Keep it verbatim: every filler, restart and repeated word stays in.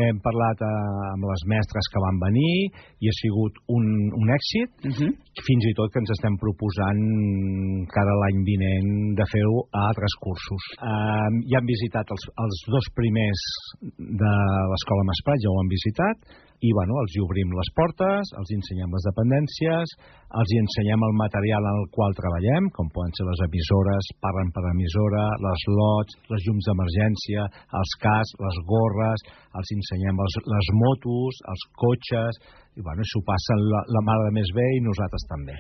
hem parlat amb les mestres que van venir i ha sigut un, un èxit, uh-huh. fins i tot que ens estem proposant cada l'any vinent de fer-ho a altres cursos. Uh, ja han visitat els, els dos primers de l'Escola Masprat, ja ho han visitat, i bueno, els hi obrim les portes, els ensenyem les dependències, els hi ensenyem el material en el qual treballem, com poden ser les emissores, parlen per emissora, les lots, les llums d'emergència, els cascs, les gorres, els ensenyem les, les motos, els cotxes, i bueno, s'ho passen la, la mare de més bé i nosaltres també.